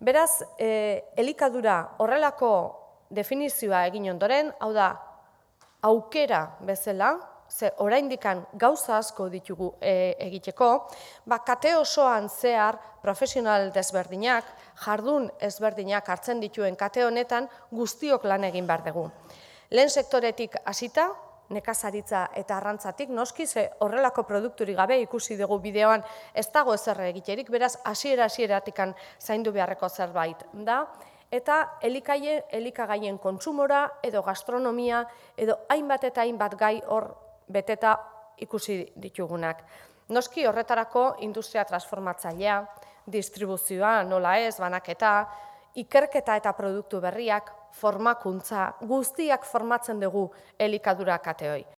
Beraz, elikadura horrelako definizioa egin ondoren, hau da, aukera bezala, ze oraindikan gauza asko ditugu egiteko, kate osoan zehar profesional desberdinak, jardun ezberdinak hartzen dituen kate honetan guztiok lan egin behar dugu. Lehen sektoretik hasita, nekazaritza eta arrantzatik, noski ze horrelako produkturik gabe ikusi dugu bideoan ez dago ezer egiterik, beraz hasiera-hasieratikan zaindu beharreko zerbait da, eta elikagaien kontsumora edo gastronomia edo hainbat eta hainbat gai hor beteta ikusi ditugunak. Noski horretarako industria transformatzailea, distribuzioa, nola ez, banaketa, ikerketa eta produktu berriak, formakuntza, guztiak formatzen dugu elikadura kateoi.